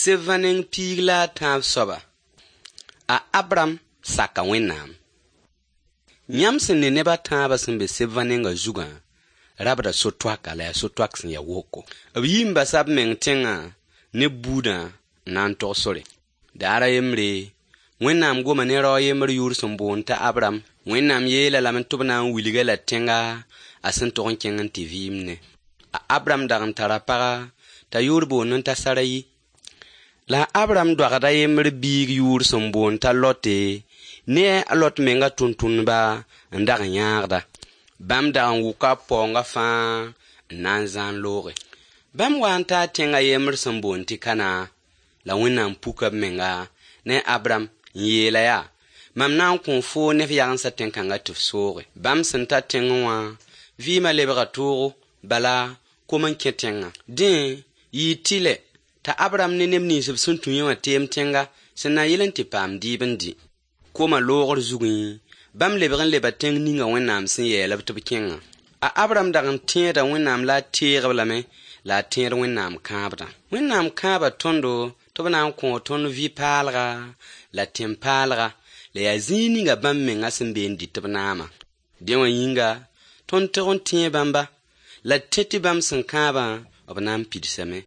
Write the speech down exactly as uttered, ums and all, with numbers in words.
Sebã neng piig la a tãab soaba. A Abram saka Wẽnnaam. Yãmb sẽn ne neb a tãabã sẽn be sebã nengã zugã rabda so-toaka la yaa so-toak sẽn ya woko. B yi n basa b meng tẽngã ne b buudã n na n togs sore. Daar a yembre, Wẽnnaam goma ne rao a yembr yʋʋr sẽn boond t'a Abram. Wẽnnaam yeel-a lame tɩ b na n wilg-a la tẽnga a sẽn tog n kẽng n tɩ vɩɩmdẽ. A Abram dag n tara paga t'a yʋʋr boondẽ t'a Sarayi. La a Abram doagda a yembr biig yʋʋr sẽn boond t'a Lote ne a Lot menga tʋmtʋmdba n dag n yãagda. Bãmb dag n wʋka b paoongã fãa n na n zãan looge. Bãmb wa n taa tẽng a yembr sẽn boond tɩ Kanã, la Wẽnnaam puka b menga ne Abram n yeela yaa: Mam na n kõo foo ne f yagensã tẽn-kãngã tɩ f sooge. Bãmb sẽn ta tẽngẽ wã, vɩɩmã lebga toogo, bala kom n kẽ tẽngã. Dẽ, yɩɩ tɩlɛ t'a Abram ne neb nins b sẽn tũ yẽ wã teem tẽnga sẽn na yɩl n tɩ paam dɩɩb n dɩ. Koma loogr zugẽ, bãmb lebg n leba tẽng ninga Wẽnnaam sẽn yeel-b tɩ b kẽngã. A Abram dag n tẽeda Wẽnnaam la a teeg-b lame la a tẽed Wẽnnaam kãabdã. Wẽnnaam kãaba tõndo tɩ b na n kõo tõnd vɩ-paalga la tẽn-paalga la yaa zĩig ninga bãmb menga sẽn be n dɩt b naamã. Dẽ wã yĩnga, tõnd tog n tẽe bãmba, la d tẽ tɩ bãmb sẽn kãabã b na n pidsame.